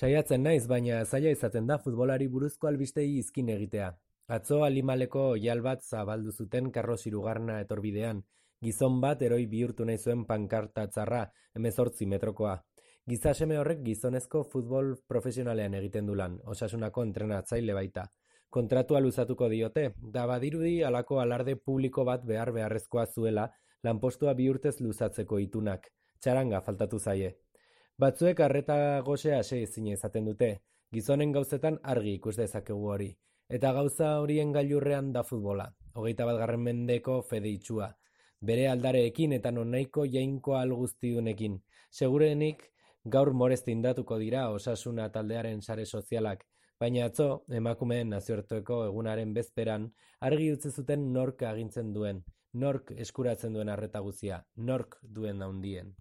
Saiatzen naiz, baina zaila izaten da futbolari buruzko albistei izkin egitea. Atzo Alimaleko oihal bat zabaldu zuten Karlos Hirugarrena etorbidean, gizon bat heroi bihurtu nahi zuen pankarta txarra, 18 metrokoa. Giza seme horrek gizonezko futbol profesionalean egiten du lan, Osasunako entrenatzaile baita. Kontratua luzatuko diote, da badirudi halako alarde publiko bat beharrezkoa zuela lanpostua bi urtez luzatzeko itunak. Txaranga faltatu zaie. Batzuek arreta gosea ase ezina izaten dute, gizonen gauzetan argi ikus dezakegu hori. Eta gauza horien gailurrean da futbola, 21. mendeko fede itsua. Bere aldareekin eta nonaiko jainko alguztidunekin. Segurenik gaur morez tindatuko dira Osasuna taldearen sare sozialak, baina atzo, emakumeen nazioarteko egunaren bezperan, argi utzi zuten nork agintzen duen, nork eskuratzen duen arreta guzia, nork duen handien.